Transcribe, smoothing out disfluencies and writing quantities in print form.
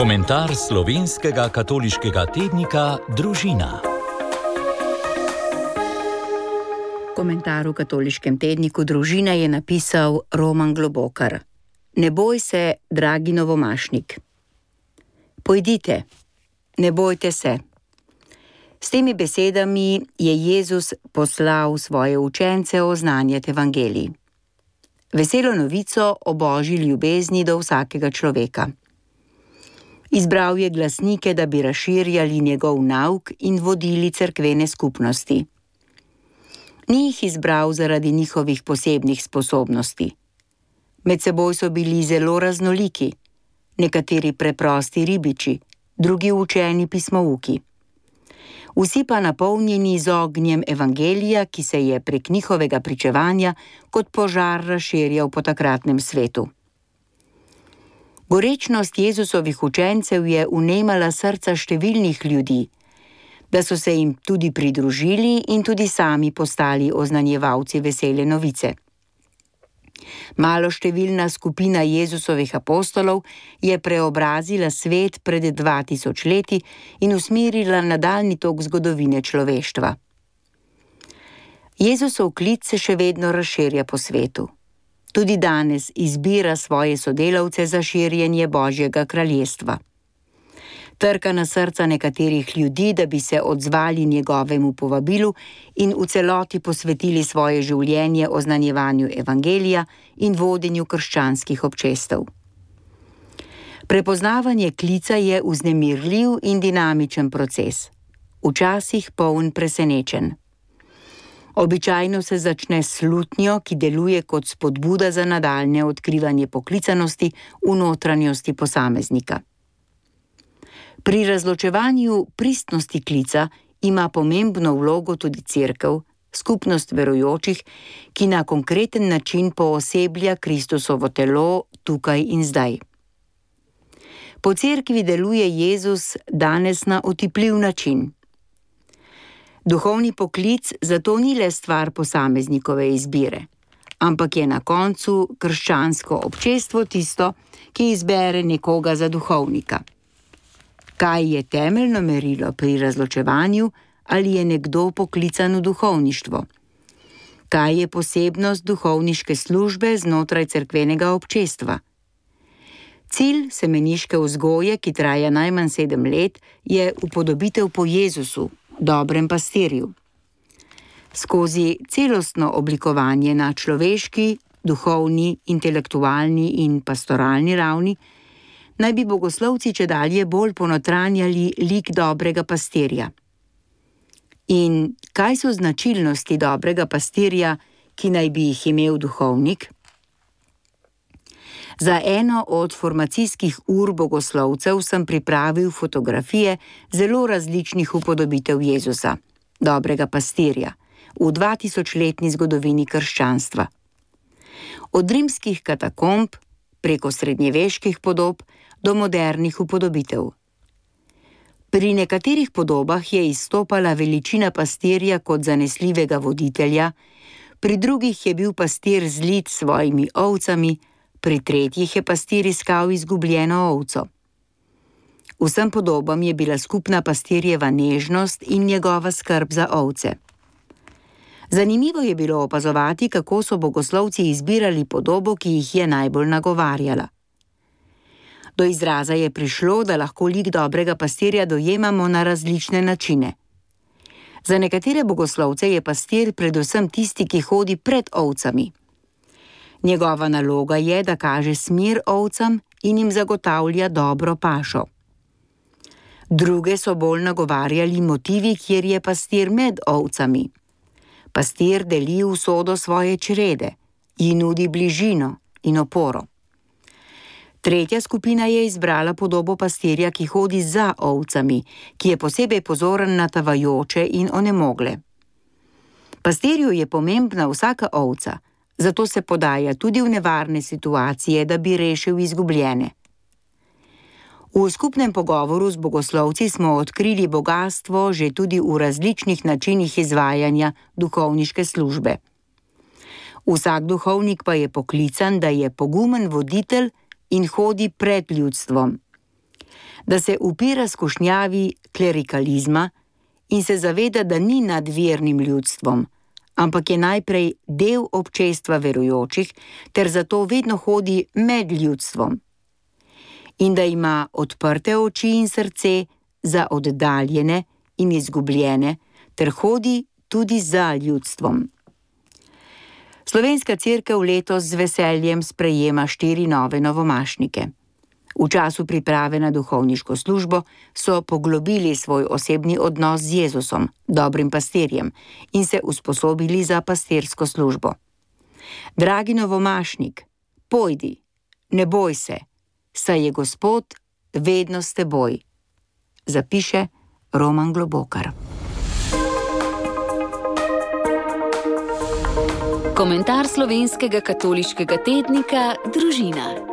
Komentar slovenskega katoliškega tednika Družina. Komentar v katoliškem tedniku Družina je napisal Roman Globokar. Ne boj se, dragi novomašnik. Pojdite, ne bojte se. S temi besedami je Jezus poslal svoje učence oznanjati evangelij. Veselo novico o Božji ljubezni do vsakega človeka. Izbral je glasnike, da bi razširjali njegov nauk in vodili cerkvene skupnosti. Ni jih izbral zaradi njihovih posebnih sposobnosti. Med seboj so bili zelo raznoliki, nekateri preprosti ribiči, drugi učeni pismouki. Vsi pa napolnjeni z ognjem evangelija, ki se je prek njihovega pričevanja kot požar razširjal po takratnem svetu. Gorečnost Jezusovih učencev je vnemala srca številnih ljudi, da so se jim tudi pridružili in tudi sami postali oznanjevalci vesele novice. Maloštevilna skupina Jezusovih apostolov je preobrazila svet pred 2000 leti in usmerila nadaljnji tok zgodovine človeštva. Jezusov klic se še vedno razširja po svetu. Tudi danes izbira svoje sodelavce za širjenje Božjega kraljestva. Trka na srca nekaterih ljudi, da bi se odzvali njegovemu povabilu in v celoti posvetili svoje življenje oznanjevanju evangelija in vodenju krščanskih občestev. Prepoznavanje klica je vznemirljiv in dinamičen proces, včasih poln presenečenj. Običajno se začne s slutnjo, ki deluje kot spodbuda za nadaljnje odkrivanje poklicanosti v notranjosti posameznika. Pri razločevanju pristnosti klica ima pomembno vlogo tudi cerkev, skupnost verujočih, ki na konkreten način pooseblja Kristusovo telo tukaj in zdaj. Po cerkvi deluje Jezus danes na otipljiv način. Duhovni poklic zato ni le stvar posameznikove izbire, ampak je na koncu krščansko občestvo tisto, ki izbere nekoga za duhovnika. Kaj je temeljno merilo pri razločevanju, ali je nekdo poklican v duhovništvo? Kaj je posebnost duhovniške službe znotraj cerkvenega občestva? Cilj semeniške vzgoje, ki traja najmanj 7 let, je upodobitev po Jezusu, dobrem pastirju. Skozi celostno oblikovanje na človeški, duhovni, intelektualni in pastoralni ravni naj bi bogoslovci čedalje bolj ponotranjali lik dobrega pastirja. In kaj so značilnosti dobrega pastirja, ki naj bi jih imel duhovnik? Za eno od formacijskih ur bogoslovcev sem pripravil fotografije zelo različnih upodobitev Jezusa, dobrega pastirja, v 2000-letni zgodovini krščanstva. Od rimskih katakomb, preko srednjeveških podob, do modernih upodobitev. Pri nekaterih podobah je izstopala veličina pastirja kot zanesljivega voditelja, pri drugih je bil pastir zlit s svojimi ovcami, pri tretjih je pastir iskal izgubljeno ovco. Vsem podobam je bila skupna pastirjeva nežnost in njegova skrb za ovce. Zanimivo je bilo opazovati, kako so bogoslovci izbirali podobo, ki jih je najbolj nagovarjala. Do izraza je prišlo, da lahko lik dobrega pastirja dojemamo na različne načine. Za nekatere bogoslovce je pastir predvsem tisti, ki hodi pred ovcami. Njegova naloga je, da kaže smer ovcam in jim zagotavlja dobro pašo. Druge so bolj nagovarjali motivi, kjer je pastir med ovcami. Pastir deli usodo svoje črede, ji nudi bližino in oporo. Tretja skupina je izbrala podobo pastirja, ki hodi za ovcami, ki je posebej pozoren na tavajoče in onemogle. Pastirju je pomembna vsaka ovca, zato se podaja tudi v nevarne situacije, da bi rešil izgubljene. V skupnem pogovoru z bogoslovci smo odkrili bogastvo že tudi v različnih načinih izvajanja duhovniške službe. Vsak duhovnik pa je poklican, da je pogumen voditelj in hodi pred ljudstvom. da se upira skušnjavi klerikalizma in se zaveda, da ni nad vernim ljudstvom, ampak je najprej del občestva verujočih ter zato vedno hodi med ljudstvom. In da ima odprte oči in srce za oddaljene in izgubljene ter hodi tudi za ljudstvom. Slovenska cerkev letos z veseljem sprejema 4 nove novomašnike. V času priprave na duhovniško službo so poglobili svoj osebni odnos z Jezusom, dobrim pastirjem, in se usposobili za pastirsko službo. Dragi novomašnik, pojdi, ne boj se, saj je Gospod vedno s teboj, zapiše Roman Globokar. Komentar slovenskega katoliškega tednika Družina.